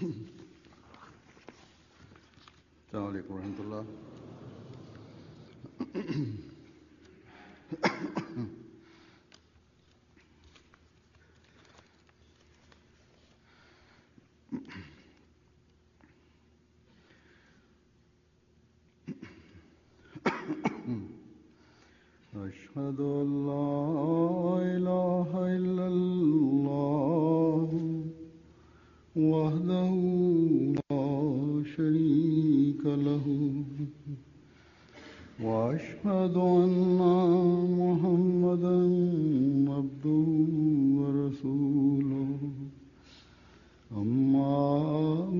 السلام عليكم ورحمة الله. أشهد أن لا إله إلا الله وحده لا شريك له وأشهد أن محمدا عبده ورسوله أما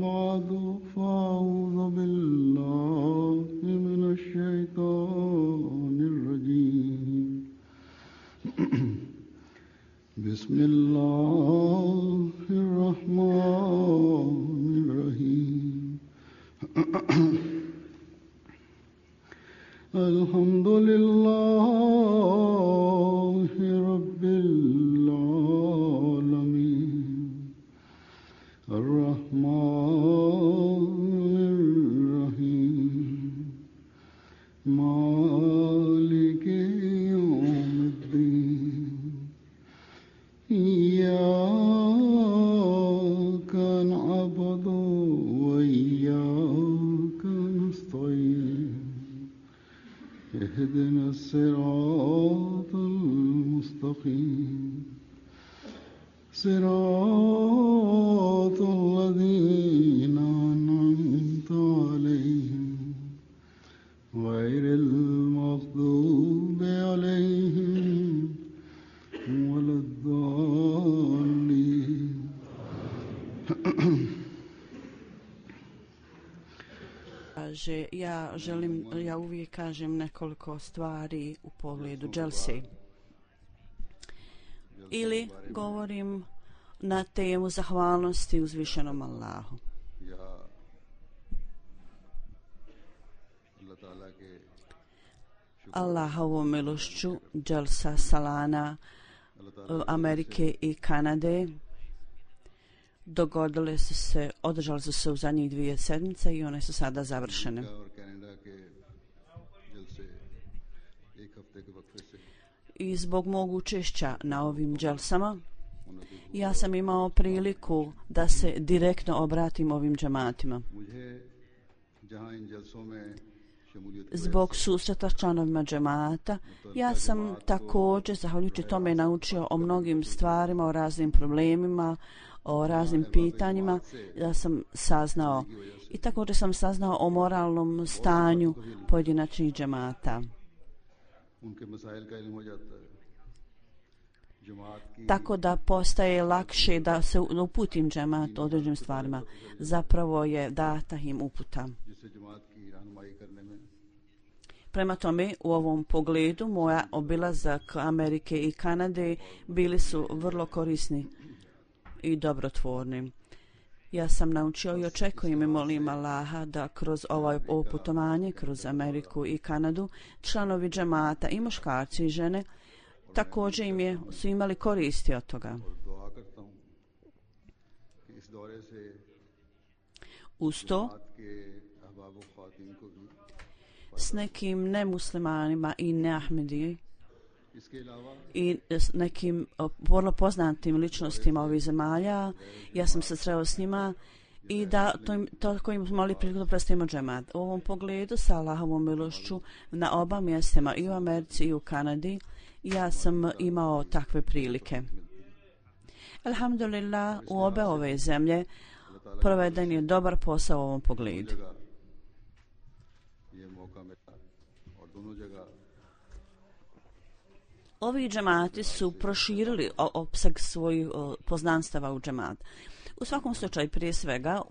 بعد فأعوذ بالله من الشيطان الرجيم بسم الله الرحمن الرحيم الحمد لله رب العالمين الرحمن الرحيم مالك يوم الدين إياك نعبد وإياك نستعين اهدنا الصراط المستقيم صراط الذين أنعمت عليهم غير المغضوب عليهم ولا الضالين. Ja uvijek kažem nekoliko stvari u pogledu dželsi. Ili govorim na temu zahvalnosti uzvišenom Allahu. Allahovom milošću dželsa salana Amerike i Kanade održali su se u zadnjih 2 sedmice i one su sada završene. I zbog mog učešća na ovim dželsama ja sam imao priliku da se direktno obratim ovim džematima. Zbog susreta s članovima džemata ja sam također zahvaljujući tome naučio o mnogim stvarima, o raznim problemima, o raznim pitanjima. Ja sam saznao i također sam saznao o moralnom stanju pojedinačnih džemata. Tako da postaje lakše da se uputim džemat određenim stvarima. Zapravo je data im uputa. Prema tome, u ovom pogledu moja obilazak Amerike i Kanade bili su vrlo korisni i dobrotvorni. Ja sam naučio i očekujem i molim Allaha da kroz ovo putovanje, kroz Ameriku i Kanadu, članovi džemata i muškarci i žene također su imali koristi od toga. Uz to, s nekim nemuslimanima i neahmediji i s nekim vrlo poznatim ličnostima ovih zemalja, ja sam se sreo s njima i da to kojim smo imali priliku da predstavimo džemat. U ovom pogledu sa Allahovom milošću na oba mjestima i u Americi i u Kanadi ja sam imao takve prilike. Alhamdulillah, u obe ove zemlje proveden je dobar posao u ovom pogledu. Ovi džemati su proširili opseg svojih poznanstava u džemat. U svakom slučaju, prije svega,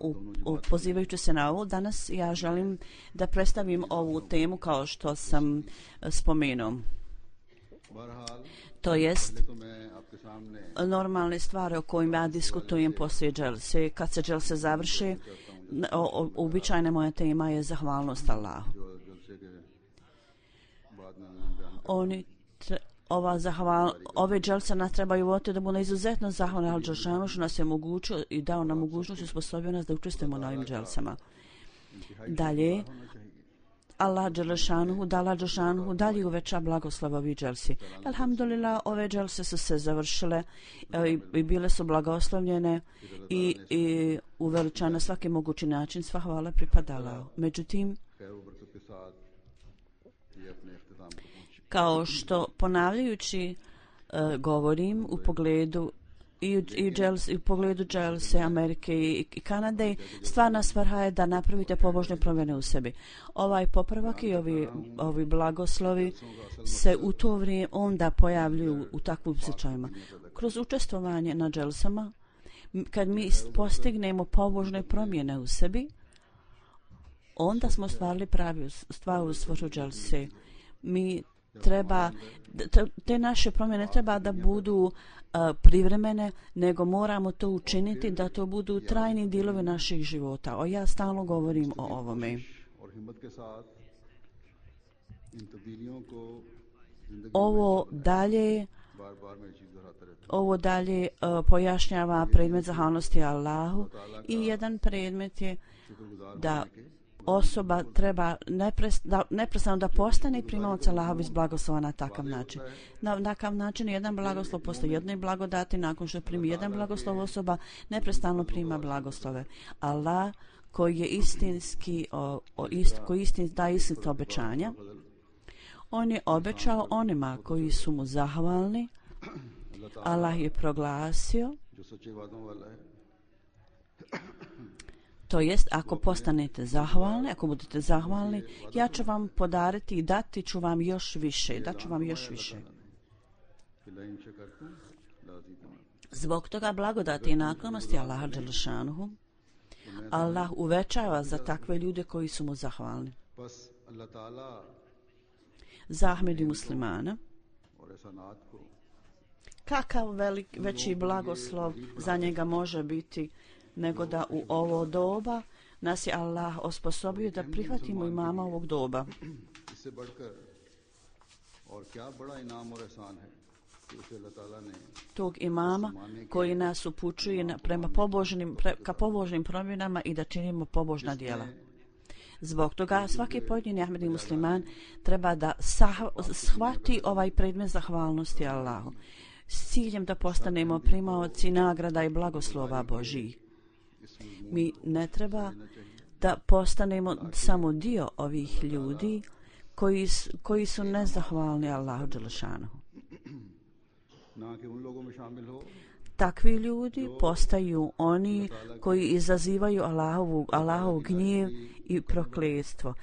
pozivajući se na ovo, danas ja želim da predstavim ovu temu kao što sam spomenuo. To jest normalne stvari o kojima ja diskutujem poslije dželse. Kad se dželse završi, uobičajena moja tema je zahvalnost Allahu. ove dželse nas trebaju voditi da budemo izuzetno zahvalni Al Đelešanu što nas je omogućio i dao nam mogućnost i usposobio nas da učestvujemo na ovim dželsama. Dalje, Allah Đelešanuhu dalje uveća blagoslov ovih dželsi. Alhamdulillah, ove dželse su se završile i bile su blagoslovljene i uveličane na svaki mogući način. Sva hvala pripadala. Međutim, kao što ponavljajući govorim u pogledu u pogledu dželse Amerike i Kanade, stvarna svrha je da napravite pobožne promjene u sebi. Ovaj popravak i ovi blagoslovi se u to vrijeme onda pojavljuju u takvim slučajima. Kroz učestvovanje na dželsama, kad mi postignemo pobožne promjene u sebi, onda smo stvarili pravu svrhu dželse. Mi te naše promjene treba da budu privremene, nego moramo to učiniti da to budu trajni dijelovi naših života. Ja stalno govorim o ovome. Ovo dalje pojašnjava predmet zahvalnosti Allahu i jedan predmet je da osoba treba neprestano da postane primalac Allahovih blagoslova na takav način. Na takav način jedan blagoslov posle jedne blagodati, nakon što primi jedan blagoslov osoba neprestano prima blagoslove. Allah koji je istinski daje istinska obećanja, on je obećao onima koji su mu zahvalni. Allah je proglasio, to jest, ako postanete zahvalni, ako budete zahvalni, ja ću vam podariti i dati ću vam još više. Zbog toga blagodati i naklonosti Allaha Đelešanuhu, Allah uvećava za takve ljude koji su mu zahvalni. Za Ahmed i muslimana, kakav veći blagoslov za njega može biti nego da u ovo doba nas je Allah osposobio da prihvatimo imama ovog doba. Tog imama koji nas upućuje ka pobožnim promjenama i da činimo pobožna djela. Zbog toga svaki pojedini Ahmedi musliman treba da shvati ovaj predmet zahvalnosti Allahu s ciljem da postanemo primaoci nagrada i blagoslova Božjih. Mi ne treba da postanemo samo dio ovih ljudi koji su nezahvalni Allahu Đelešanuhu. Takvi ljudi postaju oni koji izazivaju Allahov gnjev i prokletstvo.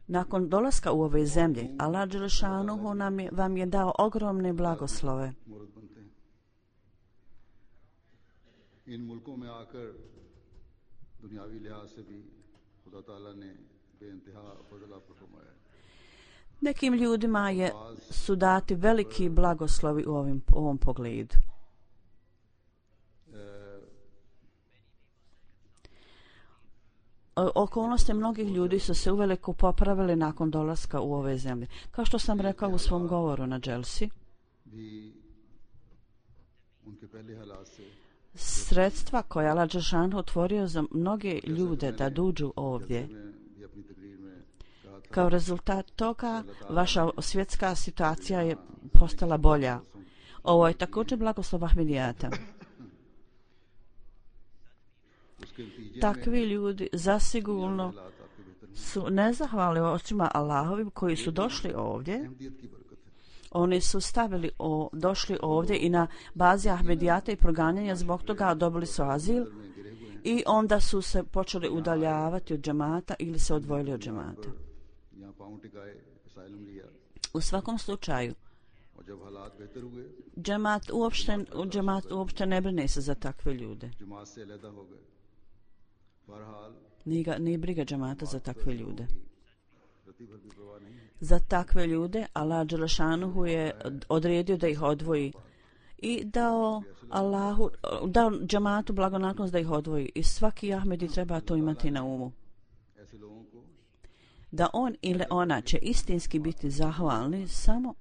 Nakon dolaska u ove zemlje, Allah Đelešanuhu vam je dao ogromne blagoslove. Nekim ljudima su dati veliki blagoslovi u ovom pogledu. Okolnosti mnogih ljudi su se uveliko popravili nakon dolaska u ove zemlje. Kao što sam rekao u svom govoru na dželsi, sredstva koja Allah Đelešanuhu otvorio za mnoge ljude da dođu ovdje, kao rezultat toga vaša svjetska situacija je postala bolja. Ovo je također blagoslov Ahmedijata. Takvi ljudi zasigurno su nezahvalni očima Allahovim koji su došli ovdje. Oni su došli ovdje i na bazi Ahmedijata i proganjanja zbog toga dobili su azil i onda su se počeli udaljavati od džemata ili se odvojili od džemata. U svakom slučaju, džemat uopšte ne brine se za takve ljude. Nije briga džemata za takve ljude. Za takve ljude Allah Đelešanuhu je odredio da ih odvoji i dao džematu blagonaklonost da ih odvoji. I svaki Ahmedi treba to imati na umu. Da on ili ona će istinski biti zahvalni samo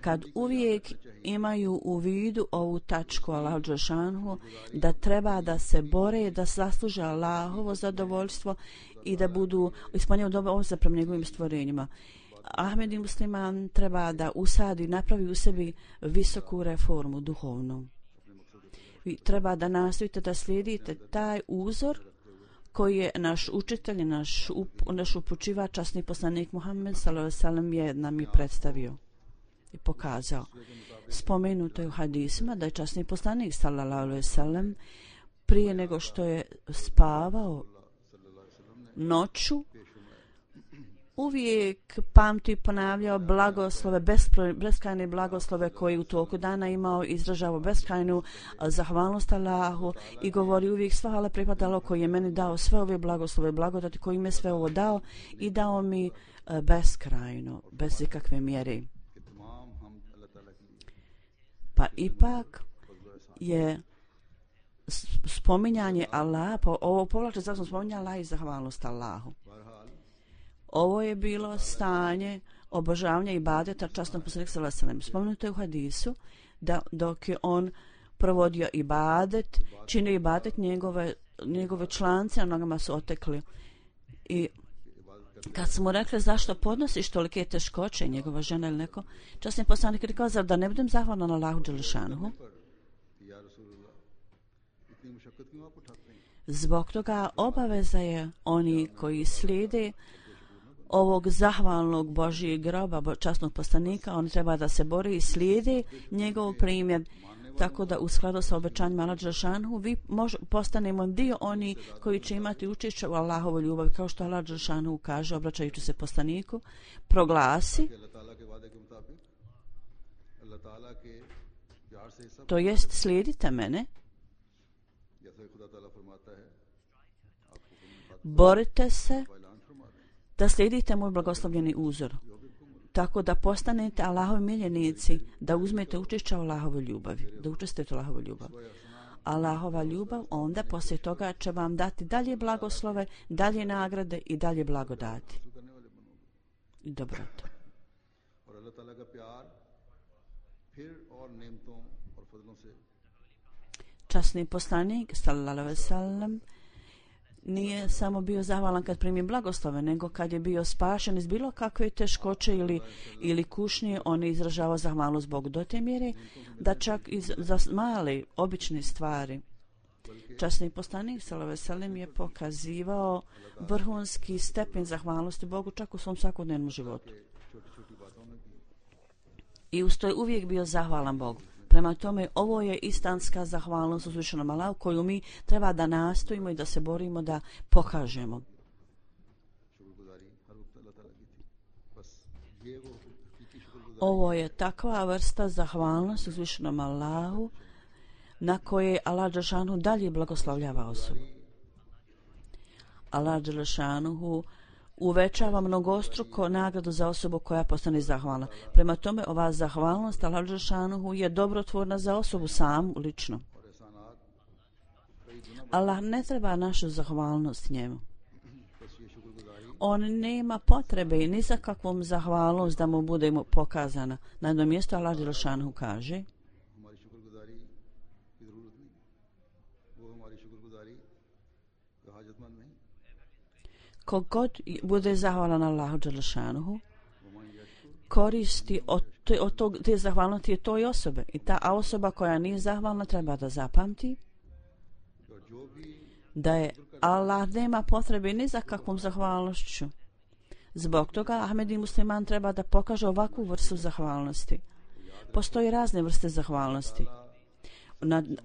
kad uvijek imaju u vidu ovu tačku Allahu dželešanu, da treba da se bore, da zasluže Allahovo zadovoljstvo i da budu ispunjeni dobre obveze prema njegovim stvorenjima. Ahmedi musliman treba da usadi, napravi u sebi visoku reformu duhovnu. Vi treba da nastojite da slijedite taj uzor koji je naš učitelj, naš upućivač, časni poslanik Muhammed sallallahu alejhi ve sellem je nam i predstavio i pokazao. Spomenuto je u hadisima da je časni poslanik sallallahu alejhi ve sellem prije nego što je spavao noću uvijek pamti i ponavljao blagoslove, beskrajne blagoslove koji u toku dana imao, izražavao beskrajnu zahvalnost Allahu i govori uvijek sva hvala pripadalo koji je meni dao sve ove blagoslove, blagodati koji mi je sve ovo dao i dao mi beskrajno, bez ikakve mjere. Pa ipak je spominjanje Allaha, ovo povlače zašto spominjanje Allaha i zahvalnost Allahu. Ovo je bilo stanje obožavanja ibadeta časnom poslaniku sallallahu alejhi ve sellem. Spomenuto je u hadisu da dok je on provodio ibadet, činio ibadet, njegove člance na nogama su otekli. I kad smo rekli zašto podnosiš tolike teškoće, njegova žena ili neko, časni poslanik je rekao, zar da ne budem zahvalan Allahu dželešanuhu? Zbog toga obaveza je oni koji slijede ovog zahvalnog Božijeg groba, časnog poslanika, on treba da se bori i slijede njegov primjer, tako da u skladu sa obećanjima Allaha dželešanuhu vi postanemo dio oni koji će imati učešće u Allahovoj ljubavi, kao što Allah dželešanuhu kaže, obraćajući se poslaniku, proglasi, to jest slijedite mene, borite se da slijedite moj blagoslovljeni uzor, tako da postanete Allahovi miljenici, da uzmete učešće u Allahovoj ljubavi, da učestvujete u Allahovoj ljubavi. Allahova ljubav onda poslije toga će vam dati dalje blagoslove, dalje nagrade i dalje blagodati i dobrotu. Časni poslanik sallallahu alejhi ve sellem nije samo bio zahvalan kad primi blagoslove, nego kad je bio spašen iz bilo kakve teškoće ili kušnje, on je izražavao zahvalnost Bogu do te mjere da čak i za male, obične stvari. Časni poslanik sallallahu alejhi ve sellem je pokazivao vrhunski stepen zahvalnosti Bogu čak u svom svakodnevnom životu. I uz to je uvijek bio zahvalan Bogu. Prema tome, ovo je istinska zahvalnost uzvišenom Allahu koju mi treba da nastojimo i da se borimo da pokažemo. Ovo je takva vrsta zahvalnosti uzvišenom Allahu na koje Allah dželešanuhu dalje blagoslovljava osobu. Allah dželešanuhu uvećava mnogostruko nagradu za osobu koja postane zahvalna. Prema tome, ova zahvalnost Allah dželešanuhu je dobrotvorna za osobu samu, lično. Allah ne treba našu zahvalnost njemu. On nema potrebe ni za kakvom zahvalnost da mu bude pokazana. Na jednom mjestu Allah dželešanuhu kaže: kogod bude zahvalan Allahu dželešanuhu, koristi od te zahvalnosti toj osobe. I ta osoba koja nije zahvalna treba da zapamti da je Allah nema potrebe ni za kakvom zahvalnošću. Zbog toga Ahmedi musliman treba da pokaže ovakvu vrstu zahvalnosti. Postoji razne vrste zahvalnosti.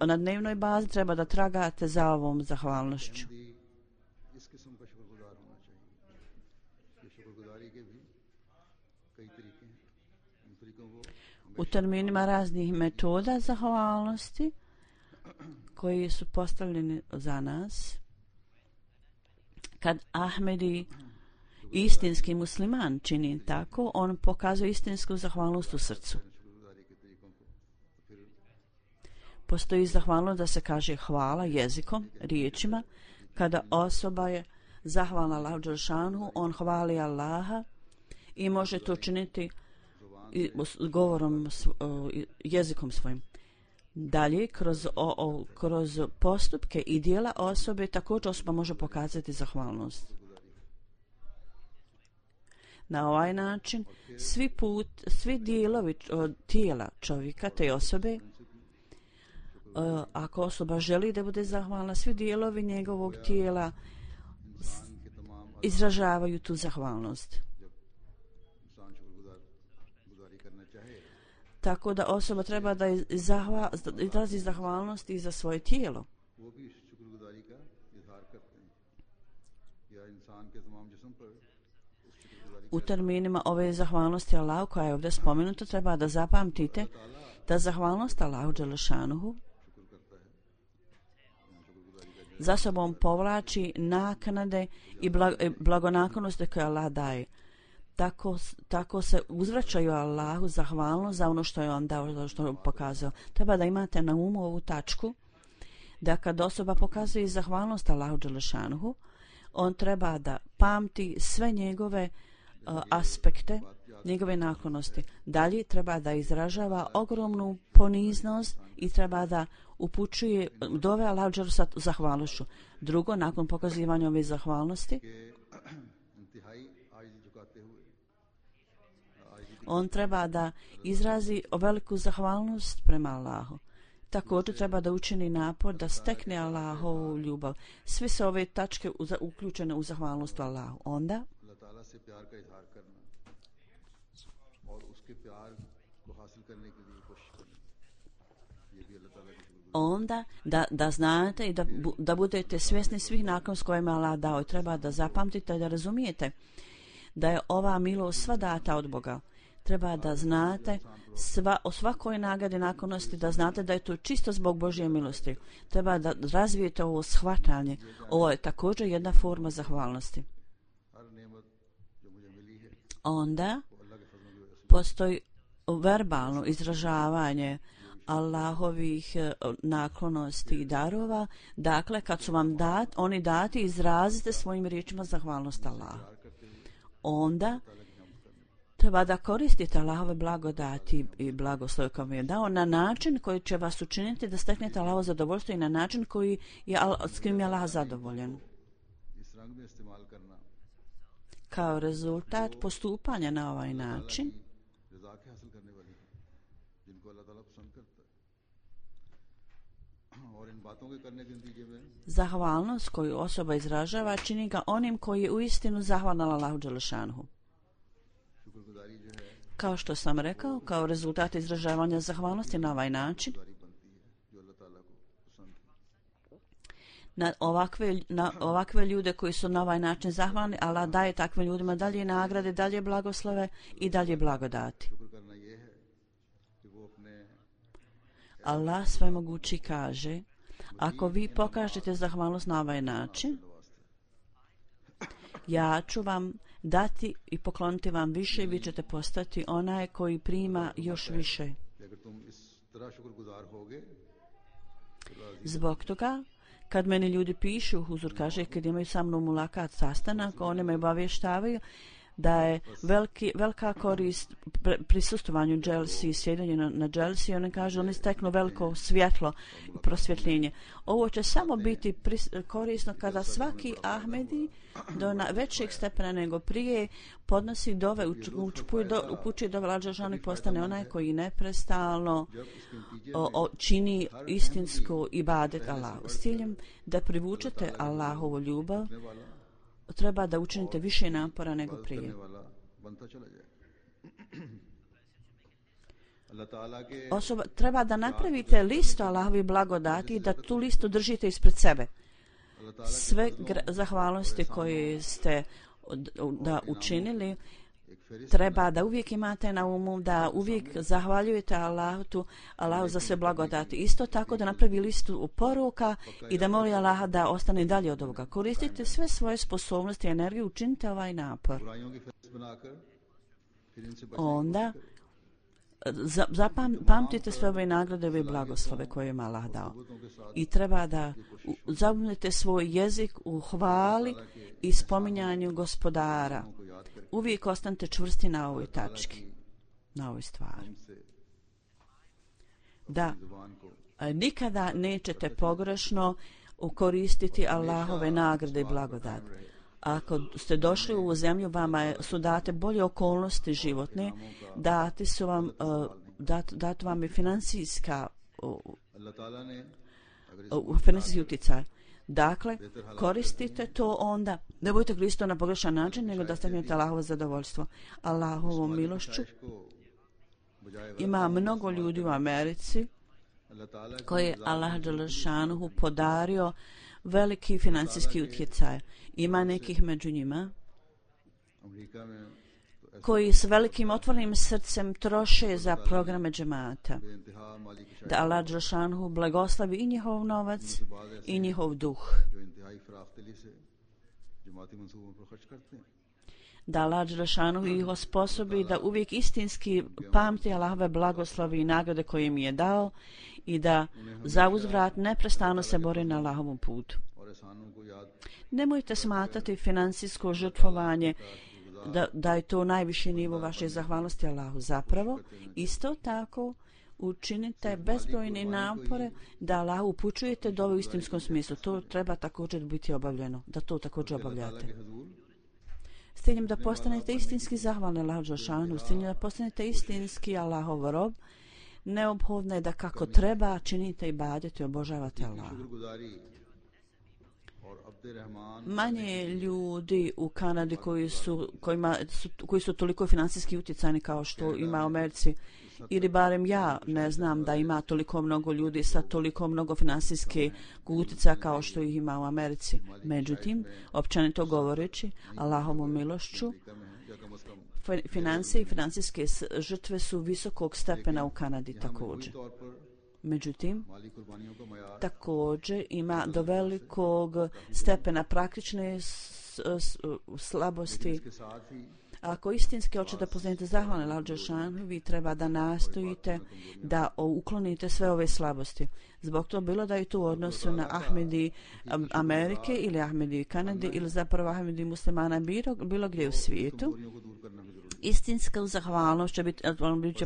Na dnevnoj bazi treba da tragate za ovom zahvalnošću. U terminima raznih metoda zahvalnosti koji su postavljeni za nas, kad Ahmedi istinski musliman čini tako, on pokazuje istinsku zahvalnost u srcu. Postoji zahvalnost da se kaže hvala jezikom, riječima. Kada osoba je zahvalna Allahu dželešanuhu, on hvali Allaha i može to činiti govorom, jezikom svojim. Dalje, kroz postupke i dijela osobe također osoba može pokazati zahvalnost. Na ovaj način svi dijelovi tijela čovjeka, te osobe, ako osoba želi da bude zahvalna, svi dijelovi njegovog tijela izražavaju tu zahvalnost. Tako da osoba treba da izrazi zahvalnost i za svoje tijelo. U terminima ove zahvalnosti Allahu koja je ovdje spomenuta treba da zapamtite da zahvalnost Allahu dželešanuhu za sobom povlači naknade i blagonaklonosti koje Allah daje. Tako se uzvraćaju Allahu zahvalnost za ono što je on dao, za što je pokazao. Treba da imate na umu ovu tačku, da kad osoba pokazuje zahvalnost Allahu dželešanuhu, on treba da pamti sve njegove aspekte, njegove naklonosti. Dalje treba da izražava ogromnu poniznost i treba da upućuje dove Allahu dželešanuhu sa zahvalnošću. Drugo, nakon pokazivanja ove zahvalnosti, on treba da izrazi veliku zahvalnost prema Allahu. Također treba da učini napor da stekne Allahovu ljubav. Sve su ove tačke uključene u zahvalnost Allahu. Onda da znate i da budete svjesni svih naklonosti koje je Allah dao. Treba da zapamtite i da razumijete da je ova milost sva data od Boga. Treba da znate o svakoj nagradi naklonosti, da znate da je to čisto zbog Božje milosti. Treba da razvijete ovo shvatanje. Ovo je također jedna forma zahvalnosti. Onda postoji verbalno izražavanje Allahovih naklonosti i darova. Dakle, kad su vam oni dati, izrazite svojim riječima zahvalnost Allahu. Onda treba da koristite Allahove blagodati i blagoslove koje vam je dao na način koji će vas učiniti da steknete Allahovo zadovoljstvo i na način s kojim je Allah zadovoljen. Kao rezultat postupanja na ovaj način, zahvalnost koju osoba izražava čini ga onim koji je uistinu zahvalan Allahu dželešanuhu. Kao što sam rekao, kao rezultat izražavanja zahvalnosti na ovaj način, na ovakve ljude koji su na ovaj način zahvalni, Allah daje takvim ljudima dalje nagrade, dalje blagoslove i dalje blagodati. Allah svemogući kaže, ako vi pokažete zahvalnost na ovaj način, ja ću vam dati i pokloniti vam više i vi ćete postati onaj koji prima još više. Zbog toga, kad meni ljudi pišu, Huzur kaže, kad imaju sa mnom mulakat sastanak, oni me obavještavaju da je velika korist prisustvovanju dželsi i sjedenju na dželsi. Oni kažu, oni steknu veliko svjetlo i prosvjetljenje. Ovo će samo biti korisno kada svaki Ahmedi do većeg stepena nego prije podnosi dove, upućuje dove lađažani, postane onaj koji neprestalno čini istinsku ibadet Allahu. S ciljem da privučete Allahovu ljubav, treba da učinite više napora nego prije. Osoba treba da napravite listu Allahovi blagodati i da tu listu držite ispred sebe. Sve zahvalnosti koje ste učinili treba da uvijek imate na umu, da uvijek zahvaljujete Allahu za sve blagodati. Isto tako da napravi listu poruka i da moli Allaha da ostane dalje od ovoga. Koristite sve svoje sposobnosti i energiju, učinite ovaj napor. Onda zapamtite sve ove nagrade i blagoslove koje je Allah dao. I treba da zapamtite svoj jezik u hvali i spominjanju Gospodara. Uvijek ostanite čvrsti na ovoj tački. na ovoj stvari. हमसे Da अपनी जुबान को nikada nećete pogrešno koristiti Allahove nagrade i blagodat. Ako ste došli u ovu zemlju, vama su date bolje okolnosti životne, dati su vam, dat vam je financijska अल्लाह ताला ने financijski utjecaj. Dakle, koristite to onda. Ne budete koristiti na pogrešan način, nego da steknete Allahovo zadovoljstvo. Allahovom milošću ima mnogo ljudi u Americi koji je Allah dželešanuhu podario veliki financijski utjecaj. Ima nekih među njima America में koji s velikim otvorenim srcem troše za programe džemata. बेइंतहा माली की Da Allah dželešanuhu blagoslovi i njihov novac i njihov duh. जो इंतहाई फराख्तली से जमाती मंसूबों पर खर्च करते हैं Da Allah dželešanuhu ih osposobi da uvijek istinski pamti Allahove blagoslovi i nagrade koje im je dao i da za uzvrat neprestano se bori na Allahovom putu. और एहसानों को याद Nemojte smatrati financijsko žrtvovanje da je to najviši nivo vaše zahvalnosti Allahu. Zapravo, isto tako učinite bezbrojne napore da Allahu upućujete do u istinskom smislu. To treba također biti obavljeno, da to također obavljate. के हुजूर S ciljem da postanete istinski zahvalni Allahu dželešanu, s ciljem da postanete istinski Allahov rob, neophodno je da kako treba činite ibadet i obožavate Allaha. शुक्रगुजारी और अब्द Rahman Manje je ljudi u Kanadi koji su toliko financijski utjecajni kao što ima u Americi. Ili barem ja ne znam da ima toliko mnogo ljudi sa toliko mnogo financijskih utjecaja kao što ih ima u Americi. Međutim, općenito govoreći, Allahovom milošću, या कम अज कम financije i financijske žrtve su visokog stepena u Kanadi također. तौर पर Međutim, माली कुर्बानियों का मयार također ima do velikog stepena praktične slabosti. के साथ ही Ako istinski hoćete poznati zahvalne Allahu dželešanu, vi treba da nastojite da uklonite sve ove slabosti. Zbog to bilo da je to u odnosu na Ahmedi Amerike ili Ahmedi Kanade ili zapravo Ahmedi muslimana bilo gdje u svijetu. दूरियों को दूर करना भी जरूरी Istinska zahvalnost će biti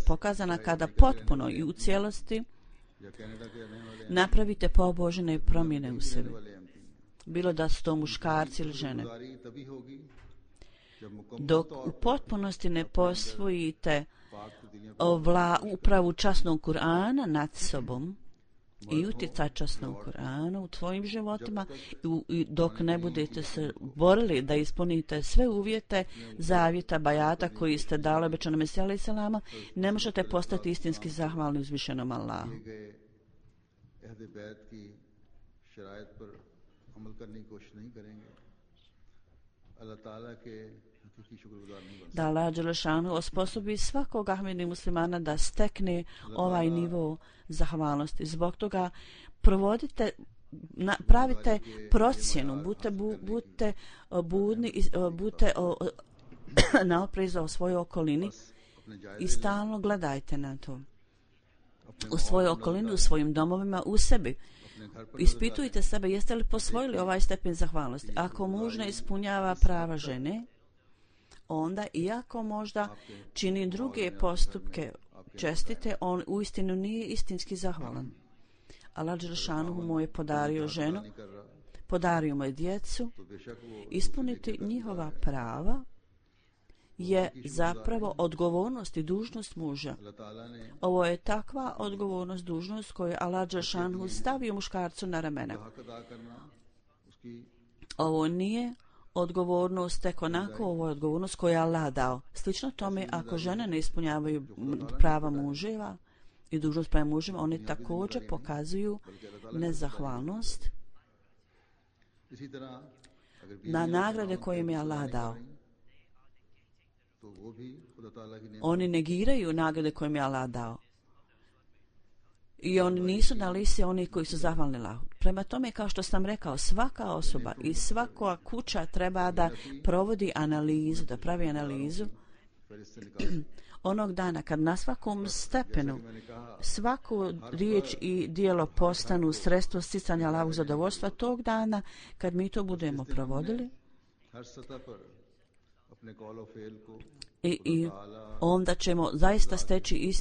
pokazana kada potpuno i u cijelosti है या कनाडा के रहने वाले napravite pobožne promjene u sebi. वाले MP Bilo da su to muškarci ili žene. गुजारी तभी होगी जब मुकम्मल Dok u potpunosti ne posvojite पाक दिलियां upravu časnog Kur'ana nad sobom i utjecaj časnog Kur'ana u tvojim životima i dok ne budete se borili da ispunite sve uvjete zavjeta bajata koji ste dali obećanom Mesiju alejhi selama, ne možete postati istinski zahvalni uzvišenom Allahu. गए अहद बैत की शराइत पर अमल करने की कोशिश नहीं करेंगे अल्लाह ताला के हकीकी शुक्रगुजार नहीं बन Da Allah dželešanu osposobi svakog Ahmedi muslimana da stekne ovaj nivo zahvalnosti. Zbog toga provodite, pravite procjenu, budite budni, budite na oprezu o svojoj okolini अपने जायज i stalno gledajte na to. U svojoj okolini, u svojim domovima, u sebi. अपने घर पर Ispitujte sebe jeste li posvojili ovaj stepen zahvalnosti. Ako muž ne ispunjava prava žene, onda iako možda čini druge postupke čestite, on uistinu nije istinski zahvalan. Allah dželešanu mu je podario ženu, नहीं कर रहा podario mu je djecu. तो बेशक वो Ispuniti njihova prava je zapravo odgovornost i dužnost muža. अल्लाह ताला ने Ovo je takva odgovornost, dužnost koju je Allah dželešanu stavio muškarcu na ramena. हक अदा करना उसकी Ovo nije odgovornost tek onako, ovo je odgovornost koju je Allah dao. Slično tome, ako žene ne ispunjavaju prava muževa i dužnost prema mužima, one također pokazuju nezahvalnost इसी तरह अगर na nagrade koje im je Allah dao. तो वो भी खुदा ताला की नेमत Oni negiraju nagrade koje im je Allah dao. I oni nisu na listi onih koji su zahvalni Allahu. Prema tome, kao što sam rekao, svaka osoba i svaka kuća treba da provodi analizu, da pravi analizu फहरिस्त से निकाल onog dana kad na svakom stepenu मैंने कहा svaku riječ i dijelo postanu sredstvo sticanja Allahovog zadovoljstva, tog dana kad mi to budemo provodili, हर सतह पर अपने कौल और फेल को i onda ćemo zaista steći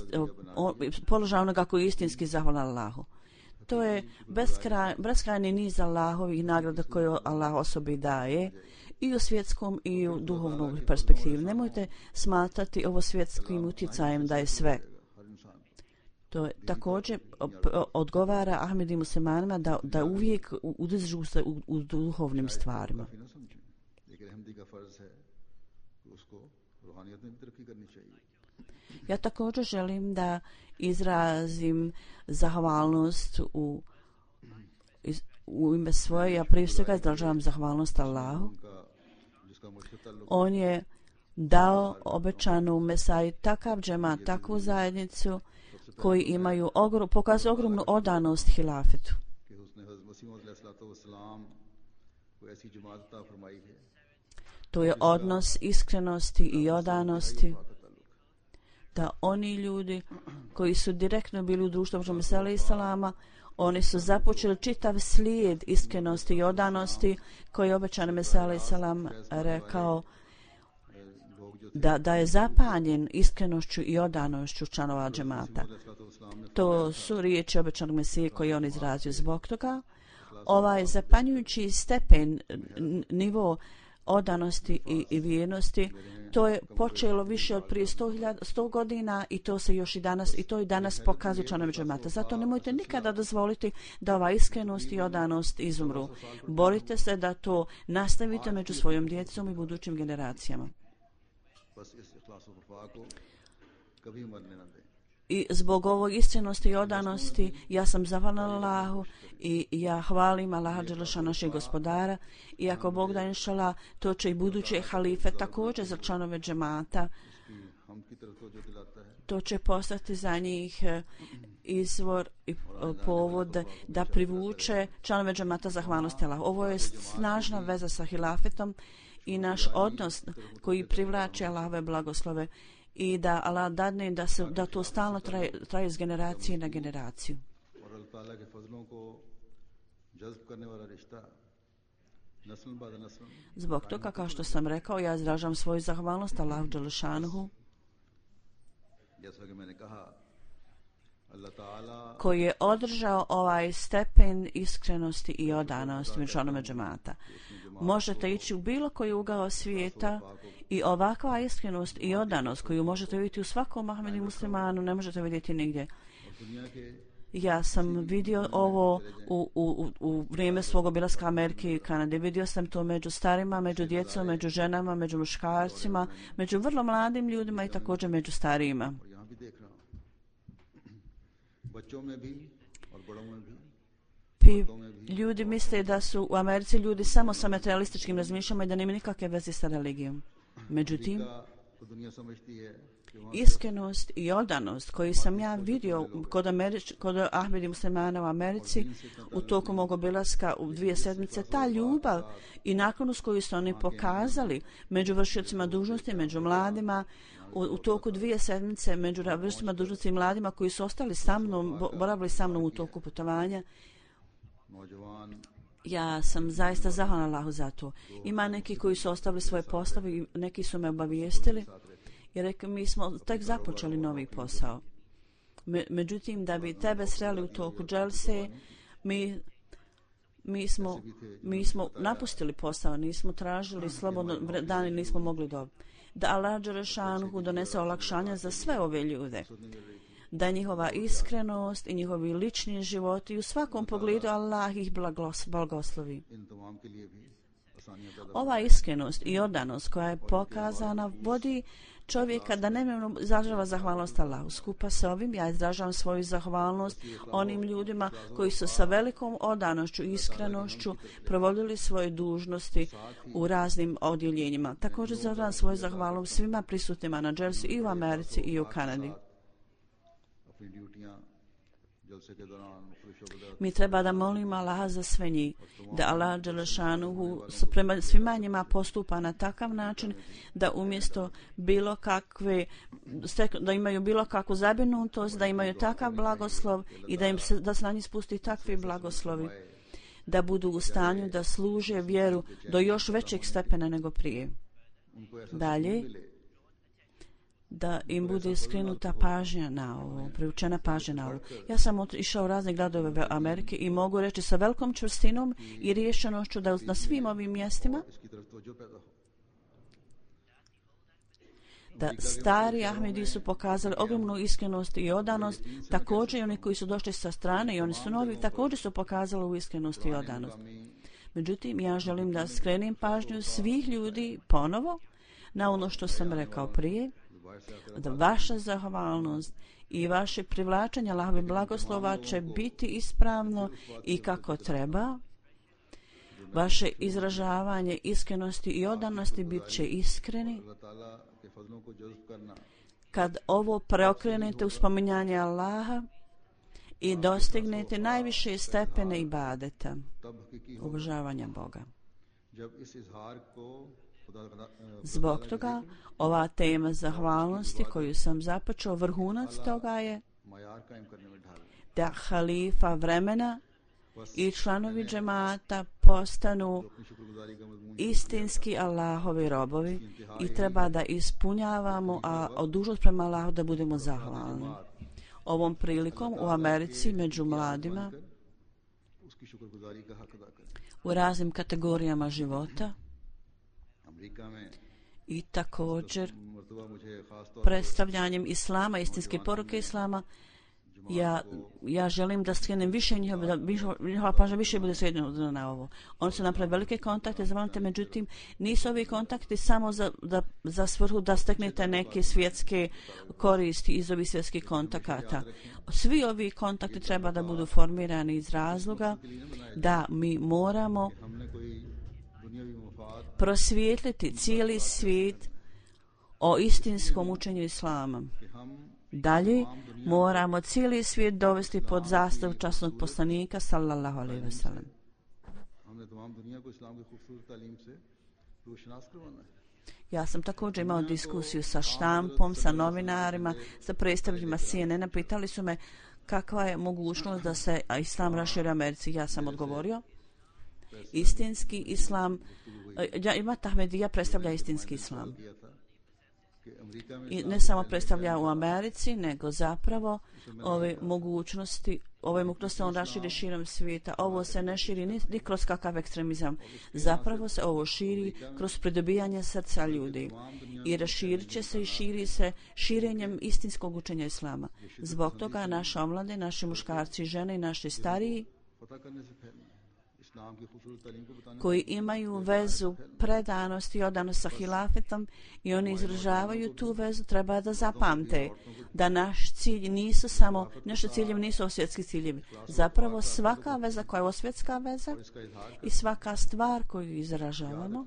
položaj onoga koji je istinski zahvalan Allahu. To je beskrajni niz Allahovih nagrada koje Allah osobi daje i u svjetskom i u duhovnom perspektivi. Nemojte smatrati ovo svjetskim utjecajem da je sve. To je također odgovara Ahmedi muslimanima da uvijek udržu se u duhovnim stvarima. Ja također želim da izrazim zahvalnost u ime svoje. Ja prije svega izražavam zahvalnost Allahu. On je dao obećanu Mesaji takav džemat, takvu zajednicu koji imaju pokazuju ogromnu odanost hilafetu. To je odnos iskrenosti i odanosti, da oni ljudi koji su direktno bili u društvu Muhammeda sallallahu alejhi ve sellema, oni su započeli čitav slijed iskrenosti i odanosti koji je obećan Mesija sallallahu alejhi ve sellem rekao da je zapanjen iskrenošću i odanošću članova džemata. To su riječi obećanog Mesije koji je on izrazio. Zbog toga ovaj zapanjujući stepen, nivo odanosti i vjernosti, to je počelo više od prije 100 godina i to se još i danas pokazuje članovi džemata. Zato nemojte nikada dozvoliti da ova iskrenost i odanost izumru. Borite se da to nastavite među svojom djecom i budućim generacijama. I zbog ovog iskrenosti i odanosti ja sam zahvalna Allahu i ja hvalim Allaha dželešana našeg gospodara, i ako Bog da inšala, to će i buduće halife također za članove džemata. To će postati za njih izvor i povod da privuče članove džemata zahvalnosti Allahu. Ovo je snažna veza sa hilafetom i naš odnos koji privlači Allahove blagoslove i da Allah dadne da to stalno traje iz generacije na generaciju. Zbog toga, kao što sam rekao, ja izražavam svoju zahvalnost Allahu dželešanuhu koji je održao ovaj stepen iskrenosti i odanosti među članovima džemata. Možete ići u bilo koji ugao svijeta i ovakva iskrenost i odanost koju možete vidjeti u svakom Ahmedi muslimanu ne možete vidjeti nigdje. Ja sam vidio ovo u vrijeme svog obilaska Amerike i Kanade. Vidio sam to među starima, među djecom, među ženama, među muškarcima, među vrlo mladim ljudima i također među starijima. Ljudi misle da su u Americi ljudi samo sa materialističkim razmišljama i da nema nikakve veze sa religijom. Međutim, iskrenost i odanost koju sam ja vidio kod Ahmedi muslimana u Americi u toku mog obilaska u 2 sedmice, ta ljubav i naklonost koju su oni pokazali među vršiocima dužnosti, među mladima, u toku 2 sedmice među vršiocima dužnosti i mladima koji su ostali sa mnom, boravili sa mnom u toku putovanja, ja sam zaista zahvalna Allahu za to. Ima neki koji su ostavili svoje poslove i neki su me obavijestili i rekli mi smo tek započeli novi posao. Međutim, da bi tebe sreli u toku dželse, mi smo napustili posao, nismo tražili slobodno dan i nismo mogli dobiti. Da Allah dželešanuhu donese olakšanja za sve ove ljude. Da njihova iskrenost i njihovi lični životi u svakom pogledu Allah ih blagoslovi. Ova iskrenost i odanost koja je pokazana vodi čovjeka da nemojno izražava zahvalnost Allahu. Skupa sa ovim ja izražavam svoju zahvalnost onim ljudima koji su sa velikom odanošću i iskrenošću provodili svoje dužnosti u raznim odjeljenjima. Također izražavam svoju zahvalnost svima prisutnima na dželsi i u Americi i u Kanadi. Mi treba da molimo Allaha za sve njih, da Allah dželešanuhu prema svima njima postupa na takav način da umjesto bilo kakve, da imaju bilo kakvu zabrinutost, da imaju takav blagoslov i da se na njih spusti takvi blagoslovi, da budu u stanju da služe vjeru do još većeg stepena nego prije. Dalje, da im bude skrenuta pažnja na ovo, privučena pažnja na ovo. Ja sam išao u razne gradove Amerike i mogu reći sa velikom čvrstinom i rješenošću da na svim ovim mjestima da stari Ahmedi su pokazali ogromnu iskrenost i odanost, također i oni koji su došli sa strane i oni su novi, također su pokazali u iskrenost i odanost. Međutim, ja želim da skrenem pažnju svih ljudi ponovo na ono što sam rekao prije, da vaša zahvalnost i vaše privlačenje Allahove blagoslova će biti ispravno i kako treba. Vaše izražavanje iskrenosti i odanosti bit će iskreni. Kad ovo preokrenete u spominjanje Allaha i dostignete najviše stepene ibadeta, obožavanja Boga. Zbog toga, ova tema zahvalnosti koju sam započeo, vrhunac toga je da halifa vremena i članovi džemata postanu istinski Allahovi robovi i treba da ispunjavamo, a dužnost prema Allahu da budemo zahvalni. Ovom prilikom u Americi među mladima u raznim kategorijama života i također predstavljanjem Islama, istinske poruke Islama, ja želim da skrenem više njihova pažnja više bude srednjena na ovo. Oni su napravili velike kontakte, zavolite, međutim, nisu ovi kontakti samo za svrhu da steknete neke svjetske koristi iz ovih svjetskih kontakata. Svi ovi kontakti treba da budu formirani iz razloga da mi moramo prosvijetliti cijeli svijet o istinskom učenju Islama. Dalje, moramo cijeli svijet dovesti pod zastavu časnog poslanika, sallallahu alejhi ve sellem. Ja sam također imao diskusiju sa štampom, sa novinarima, sa predstavljima CNN-a. Pitali su me kakva je mogućnost da se Islam raširi u Americi. Ja sam odgovorio, istinski Islam, Imam Ahmedija predstavlja istinski Islam. I ne samo predstavlja u Americi, nego zapravo ove mogućnosti on raširi širom svijeta. Ovo se ne širi ni kroz kakav ekstremizam. Zapravo se ovo širi kroz pridobijanje srca ljudi. I raširit će se i širi se širenjem istinskog učenja Islama. Zbog toga naša omlade, naši muškarci, žene i naši stariji koji imaju vezu predanosti i odanost sa hilafetom i oni izražavaju tu vezu, treba da zapamte da naš cilj nisu samo, naši ciljevi nisu svjetski ciljevi. Zapravo svaka veza koja je svjetska veza i svaka stvar koju izražavamo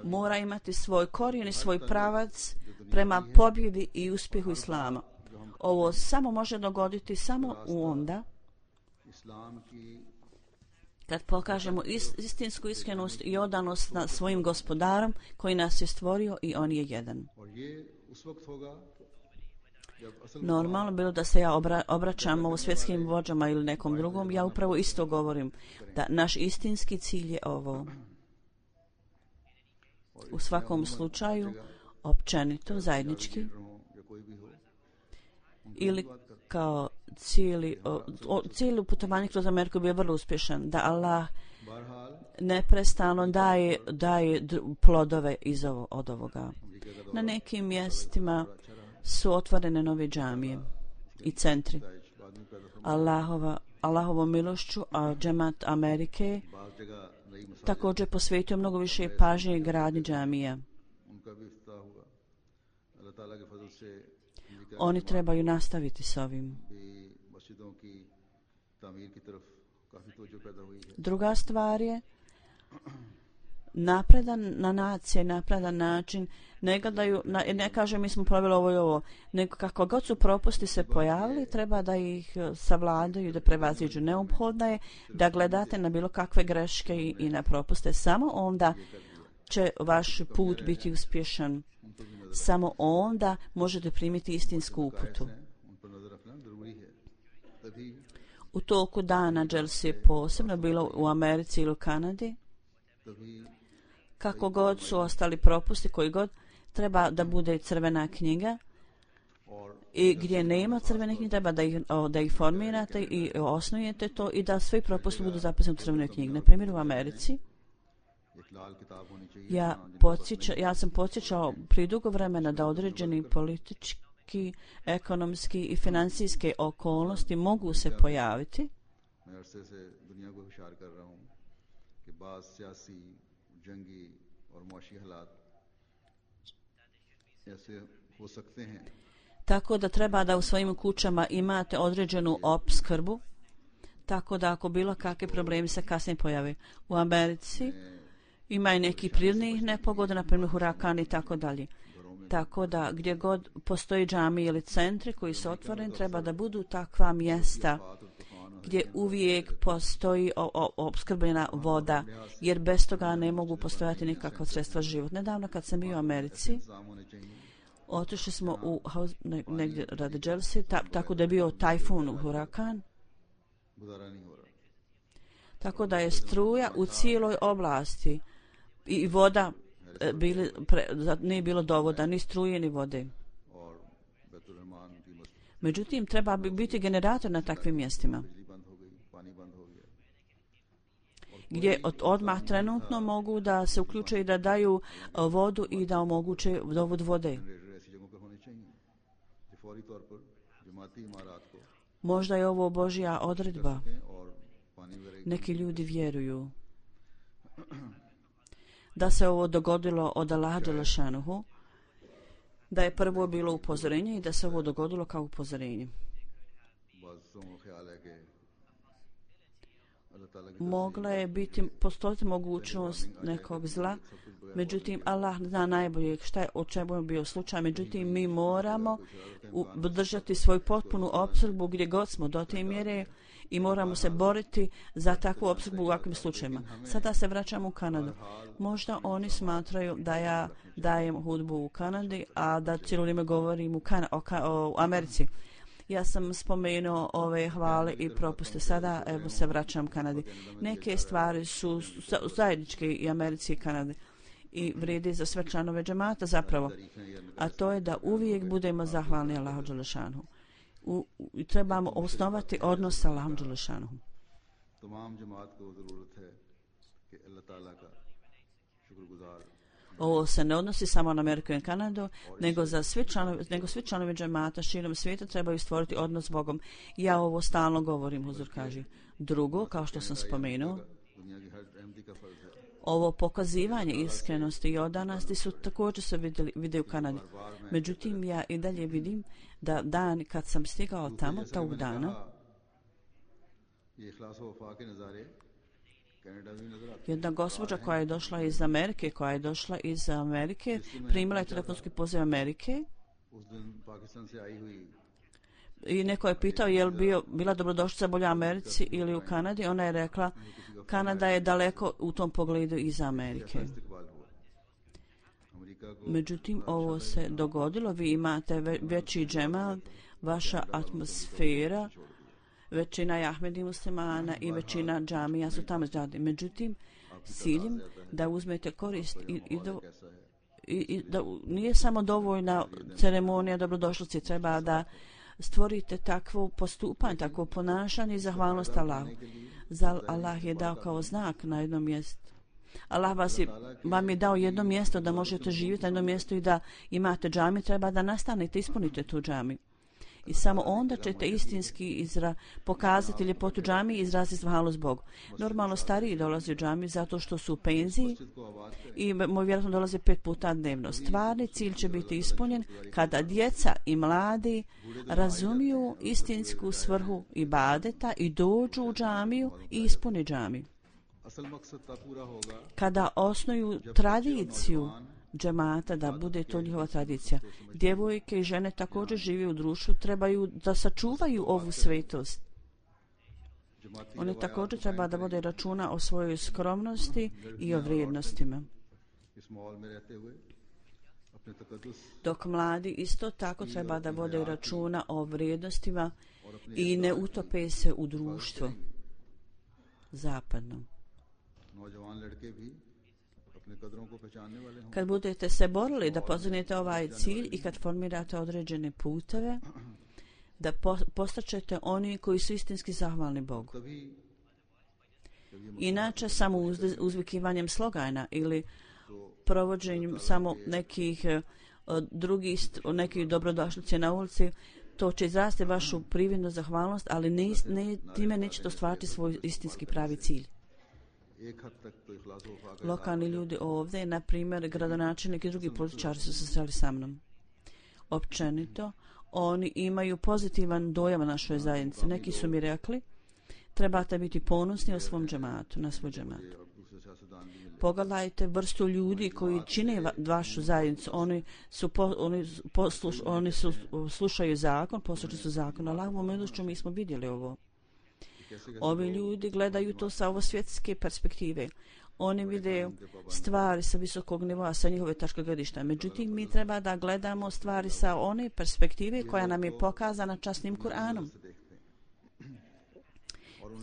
mora imati svoj korijen i svoj pravac prema pobjedi i uspjehu Islama. Ovo samo može dogoditi samo u onda kad pokažemo istinsku iskrenost i odanost na svojim gospodarom koji nas je stvorio i on je jedan. Normalno bilo da se ja obraćam u svjetskim vođama ili nekom drugom, ja upravo isto govorim da naš istinski cilj je ovo. U svakom slučaju, općenito, zajednički, ili kao cijeli putovanje kroz Ameriku bio vrlo uspješan, da Allah neprestano daje plodove od ovoga. Na nekim mjestima su otvorene nove džamije i centri. Allahovom milošću, a džemat Amerike također posvetio mnogo više pažnje gradnji džamija. Oni trebaju nastaviti s ovim. Druga stvar je napredan nacija, napredan način, ne gledaju, ne kaže mi smo proveli ovo i ovo, nego kako god su propusti se pojavili, treba da ih savladaju, da prevaziđu. Neophodno je da gledate na bilo kakve greške i na propuste. Samo onda će vaš put biti uspješan. Samo onda možete primiti istinsku uputu. U toku dana dželsi je posebno bilo u Americi ili u Kanadi, Kako god su ostali propusti, koji god, treba da bude crvena knjiga i gdje nema crvene knjige treba da ih formirate i osnujete to i da svi propusti budu zapisani u crvenoj knjigi. Na primjer u Americi ja sam podsjećao prije dugo vremena da određeni politički, ekonomski i financijske okolnosti mogu se pojaviti tako da treba da u svojim kućama imate određenu opskrbu, tako da ako bilo kakve problemi se kasnije pojave. U Americi ima i neki prirodnih nepogoda, na primjer hurakan i tako dalje. Tako da gdje god postoji džami ili centri koji su otvoreni, treba da budu takva mjesta gdje uvijek postoji opskrbljena voda, jer bez toga ne mogu postojati nikakva sredstva život. Nedavno kad sam bio u Americi, otišli smo u negdje radi Chelsea, tako da je bio tajfun, hurakan, tako da je struja u cijeloj oblasti i voda nije bilo dovoda, ni struje, ni vode. Međutim, treba biti generator na takvim mjestima, gdje odmah trenutno mogu da se uključe i da daju vodu i da omoguće dovod vode. Možda je ovo Božja odredba. Neki ljudi vjeruju da se ovo dogodilo od Allaha dželešanuhu, da je prvo bilo upozorenje i da se ovo dogodilo kao upozorenje. Mogla je postojati mogućnost nekog zla, međutim Allah zna najbolje o čemu je bio slučaj, međutim mi moramo držati svoju potpunu opskrbu gdje god smo do te mjere i moramo se boriti za takvu opskrbu u ovakvim slučajima. Sada se vraćamo u Kanadu. Možda oni smatraju da ja dajem hudbu u Kanadi, a da cijelo vrijeme govorim o Americi. Ja sam spomenuo ove hvale i propuste. Sada evo se vraćam Kanadi. Neke stvari su zajedničke i Americi i Kanadi i vrijedi za sve članove džemata zapravo. A to je da uvijek budemo zahvalni Allahu dželešanuhu. Trebamo osnovati odnos sa Allahom dželešanuhu. Ovo se ne odnosi samo na Ameriku i Kanadu, nego svi članovi džemata širom svijeta trebaju stvoriti odnos s Bogom. Ja ovo stalno govorim, huzur kaže. Drugo, kao što sam spomenuo, ovo pokazivanje iskrenosti i odanosti su također se vide u Kanadi. Međutim, ja i dalje vidim da dan kad sam stigao tamo, tog dana, jedna gospođa koja je došla iz Amerike, primila je telefonski poziv Amerike i neko je pitao je li bila dobrodošlica bolja u Americi ili u Kanadi. Ona je rekla Kanada je daleko u tom pogledu iza Amerike. Međutim, ovo se dogodilo, vi imate veći džemal, vaša atmosfera, većina Ahmedi muslimana i većina džamija su tamo zgrade. Međutim, ciljem da uzmete korist i da nije samo dovoljna ceremonija dobrodošlice, treba da stvorite takvo postupanje, takvo ponašanje i zahvalnost Allahu. Allah je dao kao znak na jednom mjestu. Allah vam je dao jedno mjesto da možete živjeti na jednom mjestu i da imate džami, treba da nastanete, ispunite tu džami. I samo onda ćete istinski pokazati ljepotu džami i izraziti zahvalnost Bogu. Normalno stariji dolaze u džami zato što su u penziji i vjerojatno dolaze 5 puta dnevno. Stvarni cilj će biti ispunjen kada djeca i mladi razumiju istinsku svrhu ibadeta i dođu u džamiju i ispuni džamiju. Kada osnuju tradiciju džemata, da bude to njihova tradicija. Djevojke i žene također žive u društvu, trebaju da sačuvaju ovu svetost. One također treba da vode računa o svojoj skromnosti i o vrijednostima. Dok mladi isto tako treba da vode računa o vrijednostima i ne utope se u društvo zapadno. Kad budete se borili da postignete ovaj cilj i kad formirate određene puteve, da postaćete oni koji su istinski zahvalni Bogu. Inače, samo uzvikivanjem slogana ili provođenjem samo nekih nekih dobrodošlice na ulici, to će izrasti vašu prividnu zahvalnost, ali time nećete ostvariti svoj istinski pravi cilj. Lokalni ljudi ovdje, na primjer, gradonačelnik i drugi političari su se sreli sa mnom. Općenito, oni imaju pozitivan dojam na našoj zajednici. Neki su mi rekli, trebate biti ponosni o svom džematu, na svoj džemat. Pogledajte vrstu ljudi koji čine vašu zajednicu. Oni slušaju zakon, poslušali su zakon. Allahovom milošću mi smo vidjeli ovo. Ovi ljudi gledaju to sa ovo svjetske perspektive. Oni vide stvari sa visokog nivoa, sa njihove tačke gledišta. Međutim, mi treba da gledamo stvari sa one perspektive koja nam je pokazana časnim Kur'anom.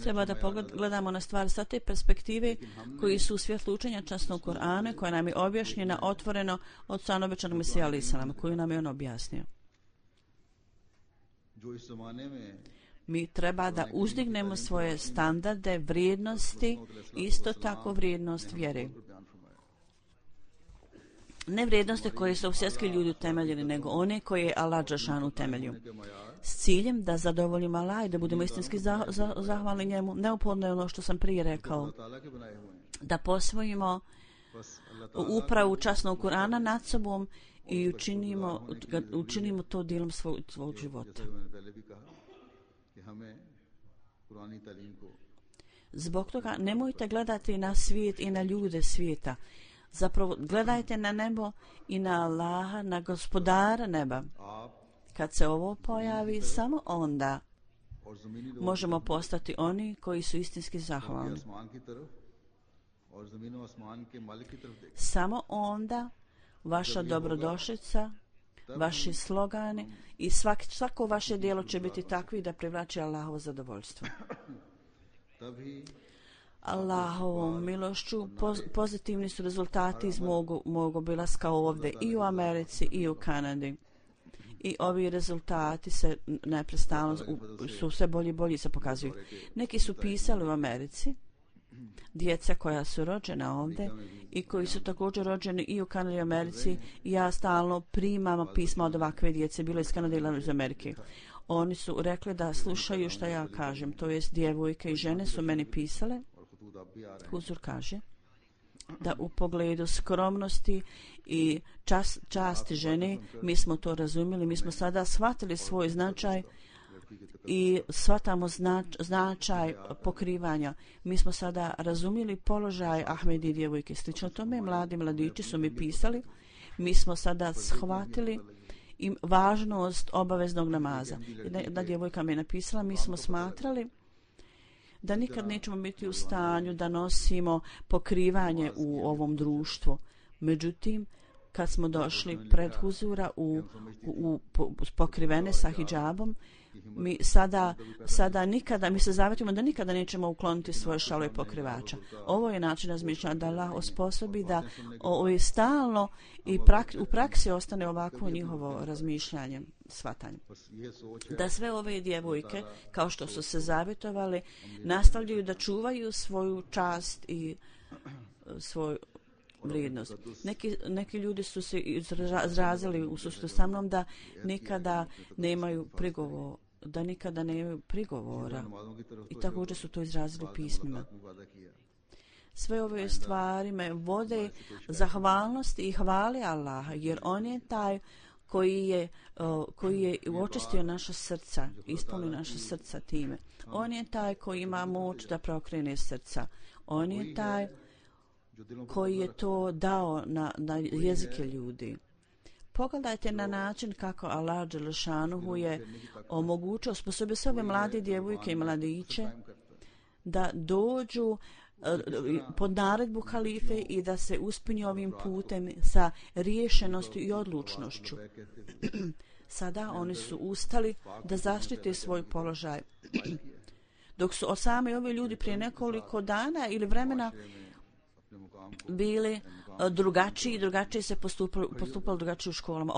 Treba da gledamo na stvari sa te perspektive koji su u svjetlu učenja časnog Kur'ana, koja nam je objašnjena otvoreno od strane obećanog Mesija alejhi selam, koju nam je on objasnio. Mi treba da uzdignemo svoje standarde, vrijednosti, isto tako vrijednost vjere. Ne vrijednosti koje su svjetski ljudi utemeljeni, nego one koje je Allah dželešanu utemeljio. S ciljem da zadovoljimo Allah i da budemo istinski zahvalni njemu, neophodno je ono što sam prije rekao, da posvojimo upravu časnog Kur'ana nad sobom i učinimo to dijelom svog života. Zbog toga nemojte gledati na svijet i na ljude svijeta. Zapravo gledajte na nebo i na Allaha, na gospodara neba. Kad se ovo pojavi, samo onda možemo postati oni koji su istinski zahvalni. Samo onda vaša dobrodošlica, vaši slogani i svako vaše djelo će biti takvi da privlači Allahovo zadovoljstvo. Allahovom milošću pozitivni su rezultati iz mog obilaska ovdje i u Americi i u Kanadi. I ovi rezultati se neprestano su sve bolji i bolji se pokazuju. Neki su pisali u Americi, djeca koja su rođena ovdje i koji su također rođeni i u Kanadi i Americi. Ja stalno primam pisma od ovakve djece, bilo iz Kanade ili iz Amerike. Oni su rekli da slušaju šta ja kažem, to jest djevojke i žene su meni pisale. Huzur kaže da u pogledu skromnosti i časti žene mi smo to razumjeli, mi smo sada shvatili svoj značaj i shvatamo značaj pokrivanja. Mi smo sada razumjeli položaj Ahmedi djevojke. Slično tome, mladići su mi pisali, mi smo sada shvatili i važnost obaveznog namaza. Jedna djevojka mi je napisala, mi smo smatrali da nikad nećemo biti u stanju da nosimo pokrivanje u ovom društvu. Međutim, kad smo došli pred huzura pokrivene sa hidžabom, mi sada nikada, mi se zavetimo da nikada nećemo ukloniti svoje šalove pokrivača. Ovo je način razmišljanja da Allah osposobi da stalno i u praksi ostane ovakvo njihovo razmišljanje, shvatanje. Da sve ove djevojke, kao što su se zavjetovali, nastavljaju da čuvaju svoju čast i svoju vrijednost. Neki ljudi su se izrazili u susretu sa mnom da nikada nemaju prigovora i također su to izrazili pismima. Sve ove stvari me vode zahvalnosti i hvali Allaha, jer on je taj koji je očistio naša srca, ispunio naša srca time. On je taj koji ima moć da prokrene srca. On je taj koji je to dao na jezike ljudi. Pogledajte na način kako Allah dželešanuhu je omogućio, osposobio sve ove mlade djevojke i mladiće da dođu pod naredbu halife i da se uspinju ovim putem sa riješenosti i odlučnošću. Sada oni su ustali da zaštite svoj položaj. Dok su sami ovi ljudi prije nekoliko dana ili vremena bili drugačije se postupalo drugačije u školama.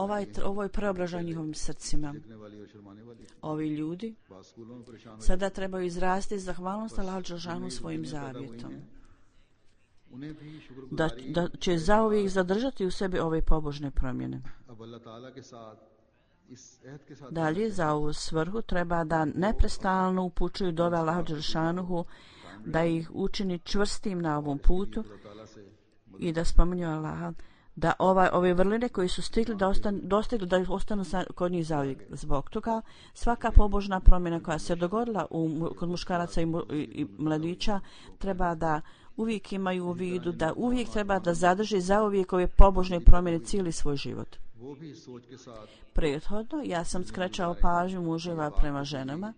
Ovo je preobražaj njihovim srcima. Ovi ljudi sada trebaju izrasti zahvalnost Allahu dželešanu svojim zavjetom. Da će zauvijek zadržati u sebi ove pobožne promjene. Dalje, za ovu svrhu treba da neprestalno upućuju dove Allahu dželešanu, da ih učini čvrstim na ovom putu i da spominju Allaha, da ove vrline koji su stigli dostigli da ostanu kod njih zauvijek. Zbog toga svaka pobožna promjena koja se dogodila kod muškaraca i mladića treba da uvijek imaju u vidu, da uvijek treba da zadrži zauvijek ove pobožne promjene cijeli svoj život. Prethodno ja sam skrećao pažnju muževa prema ženama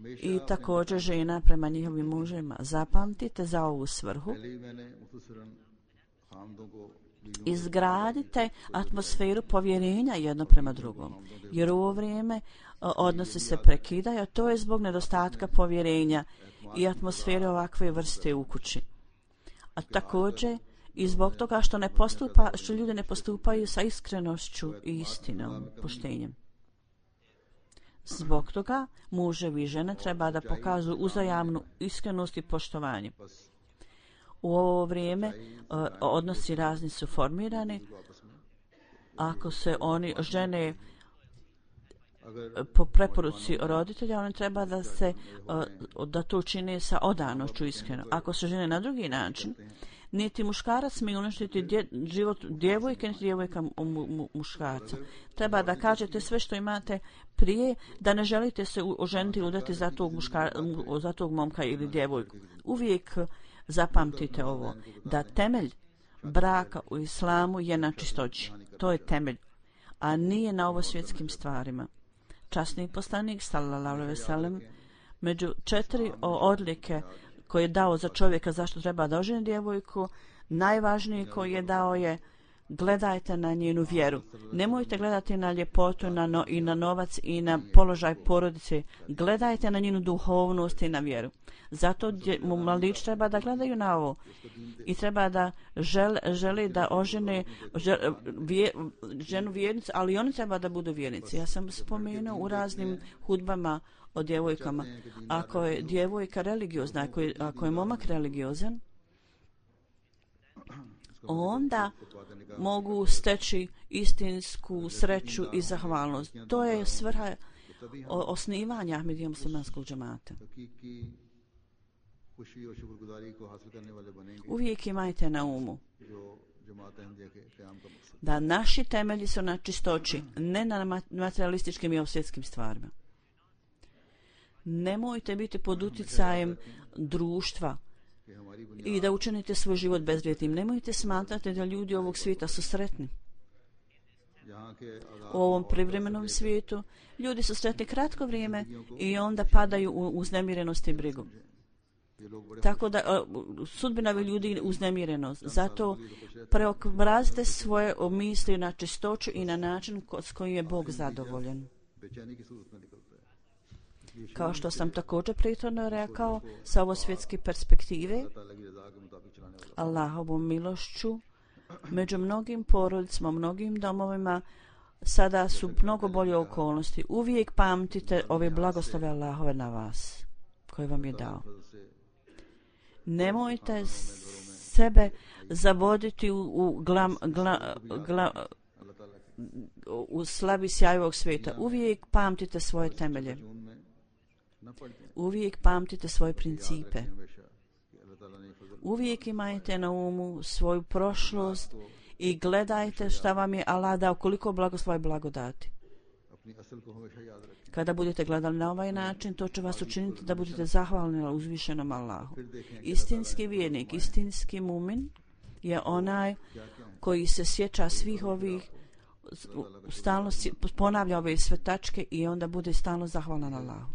i također žena prema njihovim muževima. Zapamtite za ovu svrhu. Izgradite atmosferu povjerenja jedno prema drugom, jer u ovo vrijeme odnosi se prekidaju, a to je zbog nedostatka povjerenja i atmosfere ovakve vrste u kući. A također i zbog toga što ljudi ne postupaju sa iskrenošću i istinom, poštenjem. Zbog toga muževi i žene treba da pokažu uzajamnu iskrenost i poštovanje. U ovo vrijeme odnosi razni su formirani. Ako se oni žene po preporuci roditelja, oni treba da to čine sa odanošću iskreno. Ako se žene na drugi način, niti muškarac smije uništiti život djevojke, niti djevojka muškarca. Treba da kažete sve što imate prije, da ne želite se oženiti ili udati za tog momka ili djevojku. Uvijek zapamtite ovo, da temelj braka u islamu je na čistoći. To je temelj, a nije na ovo svjetskim stvarima. Časni poslanik, sallallahu alejhi ve sellem, među 4 odlike koje je dao za čovjeka zašto treba da oženi djevojku, najvažniji koji je dao je: gledajte na njenu vjeru. Nemojte gledati na ljepotu i na novac i na položaj porodice. Gledajte na njenu duhovnost i na vjeru. Zato mladić treba da gledaju na ovo i treba da želi da ožene ženu vjernicu, ali oni treba da budu vjernici. Ja sam spomenuo u raznim hudbama o djevojkama. Ako je djevojka religiozna, ako je momak religiozan, onda mogu steći istinsku sreću i zahvalnost. To je svrha osnivanja Ahmedija muslimanskog džemata. Uvijek imajte na umu da naši temelji su na čistoći, ne na materialističkim i svjetskim stvarima. Nemojte biti pod utjecajem društva i da učinite svoj život bezvrijednim. Nemojte smatrati da ljudi ovog svijeta su sretni. U ovom privremenom svijetu ljudi su sretni kratko vrijeme i onda padaju u uznemirenost i brigu. Tako da sudbina ljudi je uznemirenost. Zato preobrazite svoje misli na čistoću i na način s kojim je Bog zadovoljen. Kao što sam također prethodno rekao, sa ovo svjetske perspektive, Allahovom milošću, među mnogim porodicama, mnogim domovima, sada su mnogo bolje okolnosti. Uvijek pamtite ove blagoslove Allahove na vas, koje vam je dao. Nemojte sebe zavoditi u slabi sjaj ovog svijeta. Uvijek pamtite svoje temelje. Uvijek pamtite svoje principe. Uvijek imajte na umu svoju prošlost i gledajte šta vam je Allah dao, koliko blagoslova i blagodati. Kada budete gledali na ovaj način, to će vas učiniti da budete zahvalni uzvišenom Allahu. Istinski vjernik, istinski mumin je onaj koji se sjeća svih ovih, stalno ponavlja ove sve tačke i onda bude stalno zahvalan Allahu.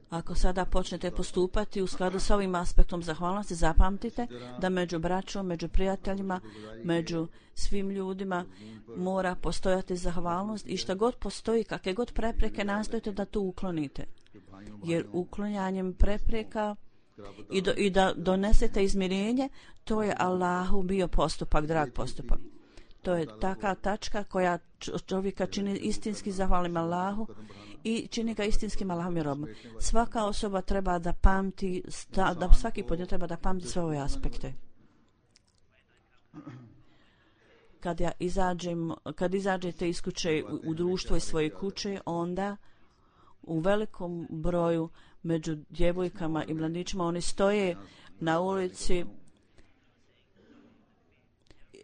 Ako sada počnete postupati u skladu s ovim aspektom zahvalnosti, zapamtite da među braćom, među prijateljima, među svim ljudima mora postojati zahvalnost i šta god postoji, kakve god prepreke, nastojite da to uklonite. jer uklanjanjem prepreka i da donesete izmirenje, to je Allahu bio postupak, drag postupak. To je taka tačka koja čovjeka čini istinski zahvalnim Allahu i čini ga istinskim Allahom i robom. Svaka osoba treba da pamti, da svaki pojedinac treba da pamti sve ove aspekte. Kad izađete iz kuće u društvo iz svoje kuće, onda u velikom broju među djevojkama i mladićima oni stoje na ulici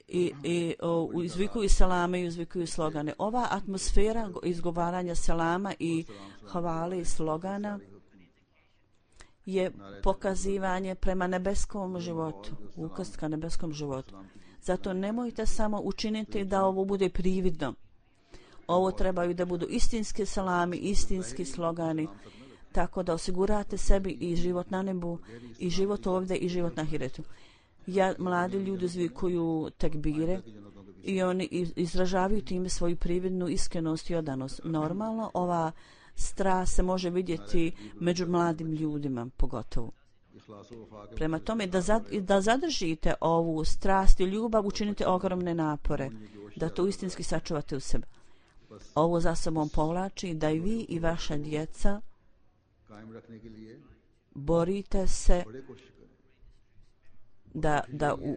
i izvikuju selame i izvikuju slogane. Ova atmosfera izgovaranja selama i hvale i slogana je pokazivanje prema nebeskom životu, ukaz ka nebeskom životu. Zato nemojte samo učiniti da ovo bude prividno. Ovo trebaju da budu istinski selami, istinski slogani, tako da osigurate sebi i život na nebu, i život ovdje, i život na hiretu. Mladi ljudi zvikuju tekbire i oni izražavaju time svoju prividnu iskrenost i odanost. Normalno, ova strast se može vidjeti među mladim ljudima, pogotovo. Prema tome, da zadržite ovu strast i ljubav, učinite ogromne napore, da to istinski sačuvate u sebi. Ovo za sobom povlači da i vi i vaša djeca borite se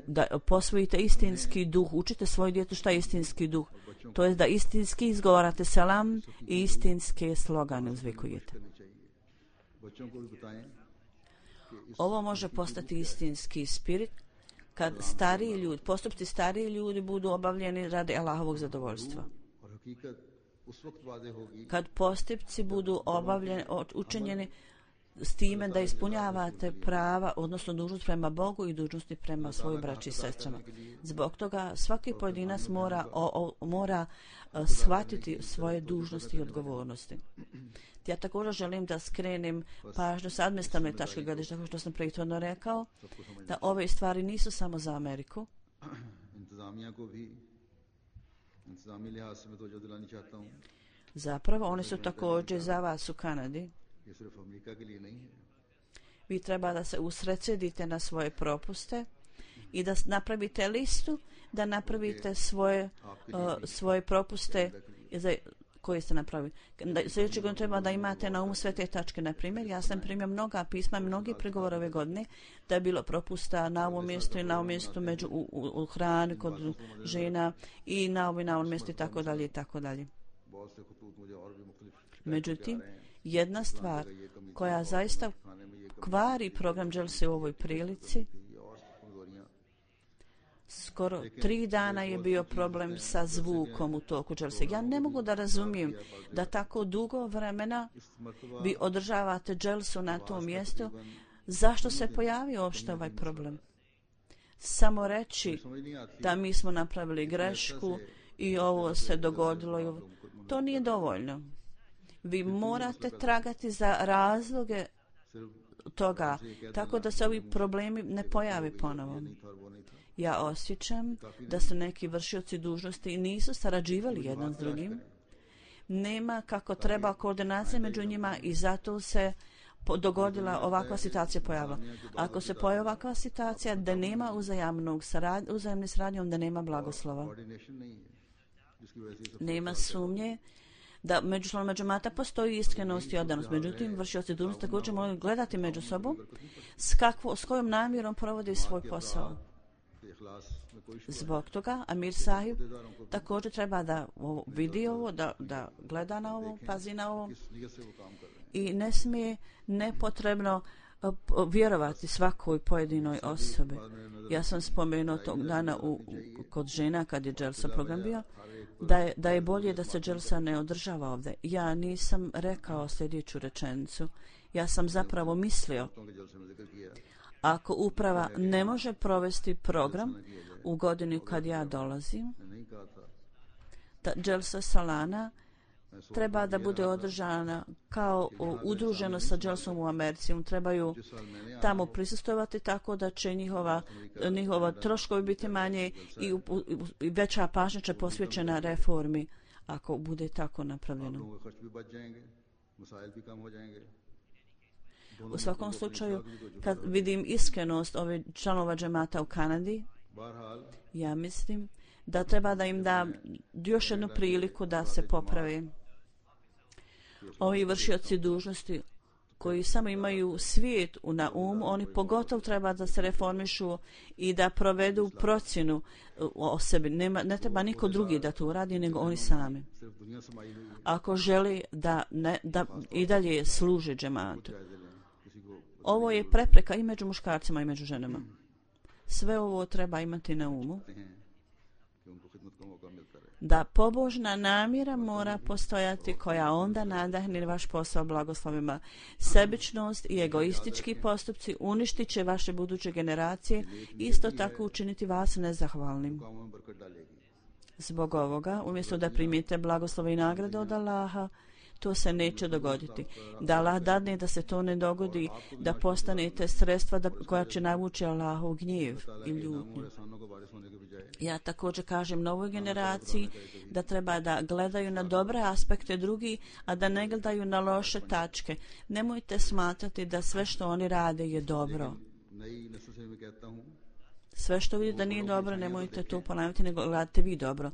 da posvojite istinski duh, učite svoju djecu šta je istinski duh. To je da istinski izgovarate selam i istinske slogane uzvikujete. Ovo može postati istinski spirit kad postupci stariji ljudi budu obavljeni radi Allahovog zadovoljstva. Kad postupci budu učinjeni s time da ispunjavate prava, odnosno dužnost prema Bogu i dužnosti prema svojoj braći i sestrama. Zbog toga svaki pojedinac mora shvatiti svoje dužnosti i odgovornosti. Ja također želim da skrenem pažnju s administrativne tačke gledišta, kao što sam prethodno rekao, da ove stvari nisu samo za Ameriku. Zapravo, one su također za vas u Kanadi. Vi treba da se usredsredite na svoje propuste i da napravite listu, da napravite svoje propuste koje ste napravili. Sljedeće godine treba da imate na umu sve te tačke. Na primjer, ja sam primio mnoga pisma, mnogi pregovore ove godine da je bilo propusta na ovom mjestu i na ovom mjestu u hrani kod žena i na ovom mjestu i tako dalje i tako dalje. Međutim, jedna stvar koja zaista kvari program Dželse u ovoj prilici, skoro 3 dana je bio problem sa zvukom u toku Dželse. Ja ne mogu da razumijem da tako dugo vremena vi održavate Dželsu na tom mjestu. Zašto se pojavio uopšte ovaj problem? Samo reći da mi smo napravili grešku i ovo se dogodilo. To nije dovoljno. Vi morate tragati za razloge toga, tako da se ovi problemi ne pojave ponovo. Ja osjećam da su neki vršioci dužnosti i nisu sarađivali jedan s drugim. Nema kako treba koordinacija među njima i zato se dogodila ovakva situacija pojava. Ako se pojavi ovakva situacija da nema uzajamne saradnje, onda nema blagoslova. Nema sumnje da među mata postoji iskrenost i odanost. Međutim, vršioci dužnosti također moraju gledati među sobom s kojom namjerom provodi svoj posao. Zbog toga Amir Sahib također treba da vidi ovo, da gleda na ovo, pazi na ovo i ne smije nepotrebno vjerovati svakoj pojedinoj osobi. Ja sam spomenuo tog dana kod žena kad je Dželsa program bio, da je bolje da se Dželsa ne održava ovdje. Ja nisam rekao sljedeću rečenicu. Ja sam zapravo mislio, ako uprava ne može provesti program u godini kad ja dolazim, da Dželsa Salana treba da bude održana kao udruženo sa Dželsom u Americi. Trebaju tamo prisustovati tako da će njihova troškovi biti manje i veća pažnja će posvećena reformi ako bude tako napravljeno. U svakom slučaju, kad vidim iskrenost ovih članova džemata u Kanadi, ja mislim da treba da im da još jednu priliku da se poprave. Ovi vršioci dužnosti koji samo imaju svijet na umu, oni pogotovo treba da se reformišu i da provedu procjenu o sebi. Ne treba niko drugi da to uradi, nego oni sami. Ako želi da i dalje služe džematu. Ovo je prepreka i među muškarcima i među ženama. Sve ovo treba imati na umu. Da pobožna namjera mora postojati koja onda nadahne vaš posao blagoslovima. Sebičnost i egoistički postupci uništit će vaše buduće generacije i isto tako učiniti vas nezahvalnim. Zbog ovoga, umjesto da primite blagoslove i nagrade od Allaha, to se neće dogoditi. Da Allah dadne da se to ne dogodi, da postanete sredstva koja će navući Allahov gnjev i ljutnju. Ja također kažem novoj generaciji da treba da gledaju na dobre aspekte drugi, a da ne gledaju na loše tačke. Nemojte smatrati da sve što oni rade je dobro. Sve što vidite da nije dobro, nemojte to ponavljati, nego gledate vi dobro.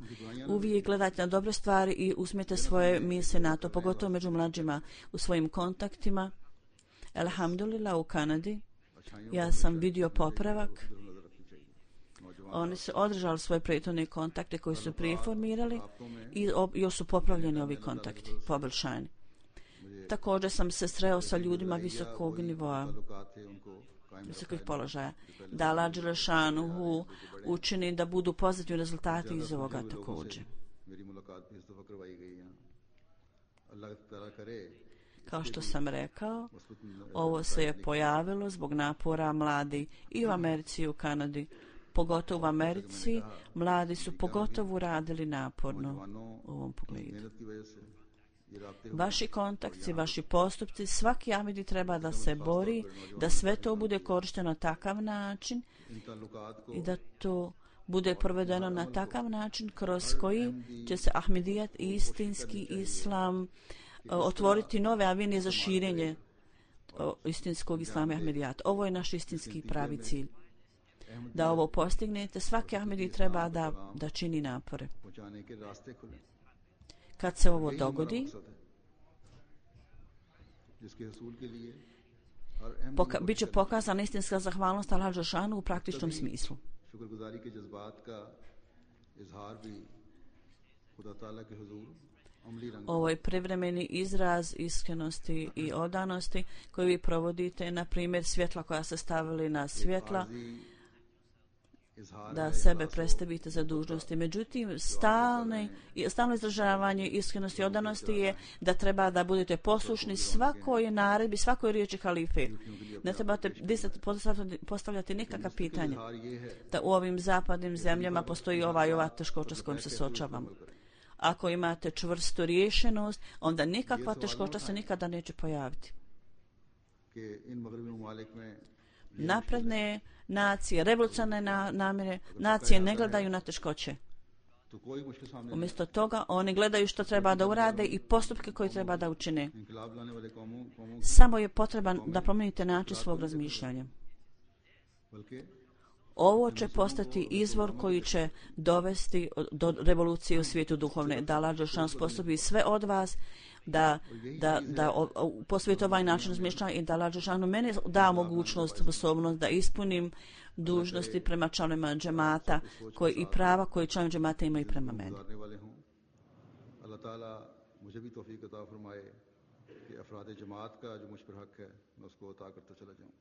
Uvijek gledajte na dobre stvari i usmijete svoje misle na to, pogotovo među mlađima u svojim kontaktima. Alhamdulillah, u Kanadi ja sam vidio popravak. Oni su održali svoje prethodne kontakte koji su prije formirali i još su popravljeni ovi kontakti, poboljšani. Također sam se sreo sa ljudima visokog nivoa, visokih položaja. Da Allah Đelešanuhu učini da budu pozitivni rezultati iz ovoga također. Kao što sam rekao, ovo se je pojavilo zbog napora mladi i u Americi i u Kanadi. Pogotovo u Americi, mladi su pogotovo radili naporno u ovom pogledu. Vaši kontakti, vaši postupci, svaki Ahmedi treba da se bori, da sve to bude korišteno na takav način i da to bude provedeno na takav način kroz koji će se Ahmedijat i istinski islam otvoriti nove avenije za širenje istinskog islama i Ahmedijata. Ovo je naš istinski pravi cilj. Da ovo postignete, svaki Ahmedi treba da čini napore. Kad se ovo dogodi, bit će pokazana istinska zahvalnost Allah Đelešanu u praktičnom smislu. Ovo je privremeni izraz iskrenosti i odanosti koji vi provodite, na primjer svjetla koja se stavili na svjetla, da sebe predstavite za dužnosti. Međutim, stalno izražavanje iskrenosti i odanosti je da treba da budete poslušni svakoj naredbi, svakoj riječi halife. Ne trebate postavljati nikakva pitanja. Da u ovim zapadnim zemljama postoji ova teškoća s kojom se suočavamo. Ako imate čvrstu riješenost, onda nikakva teškoća se nikada neće pojaviti. Napredne nacije, revolucionarne namjere, nacije ne gledaju na teškoće. Umjesto toga, oni gledaju što treba da urade i postupke koje treba da učine. Samo je potreban da promijenite način svog razmišljanja. Ovo će postati izvor koji će dovesti do revolucije u svijetu duhovne. Da Allah Đelešan sposobi sve od vas da posvijete ovaj način razmišljanja i da Allah Đelešanu mene da mogućnost, sposobnost da ispunim dužnosti prema članovima džemata i prava koje članovi džemata imaju prema meni. Allah Ta'ala मुझे भी तौफीक अता फरमाए कि अफराद जमात का जो मुझ पर हक है मैं उसको अता करता चला जाऊं.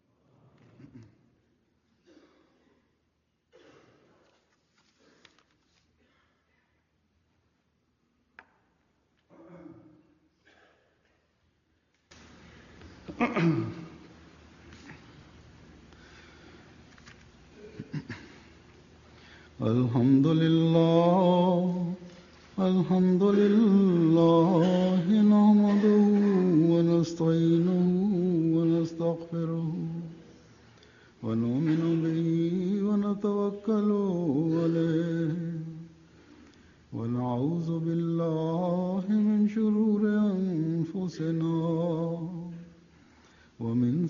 الحمد لله نحمده ونستعينه ونستغفره ونؤمن به ونتوكل عليه ونعوذ بالله من شرور أنفسنا ومن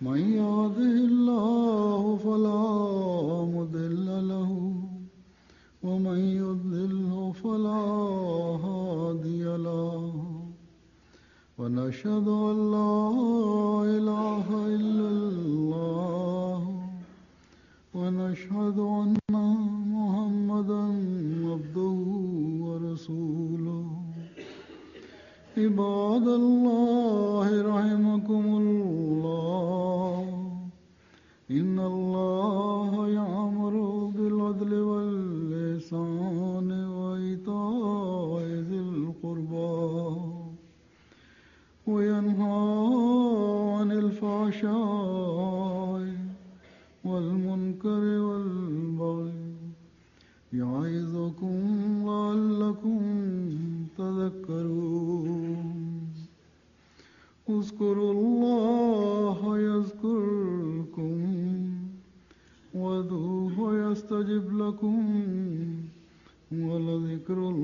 من يهده الله فلا مضل له ومن يضلله فلا هادي له ونشهد أن لا إله إلا الله ونشهد أن محمدا عبده ورسوله عباد الله رحمكم الله إن الله يأمر بالعدل والإحسان وإيتاء ذي القربى وينهى عن الفحشاء والمنكر والبغي يعظكم لعلكم تذكرون اذكروا الله يذكركم وادعوه يستجب لكم ولذكر الله